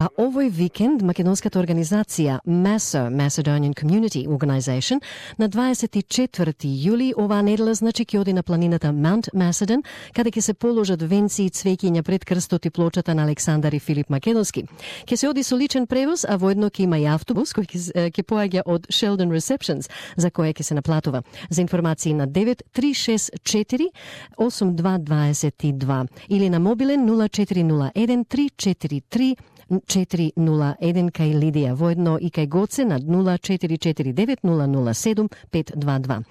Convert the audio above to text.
А овој викенд македонската организација MASO, Macedonian Community Organization, на 24 јули оваа недела ќе оди на планината Mount Macedon, каде ќе се положат венци и цвеќиња пред крстот и плочата на Александар и Филип Македонски. Ќе се оди со личен превоз, а воедно ќе има и автобус кој ќе поаѓа од Sheldon Receptions, за кој ќе се наплатува. За информации на 9364 8222 или на мобилен 0401 343 401 кај Лидија, воедно и кај Гоце на 0449 007 522.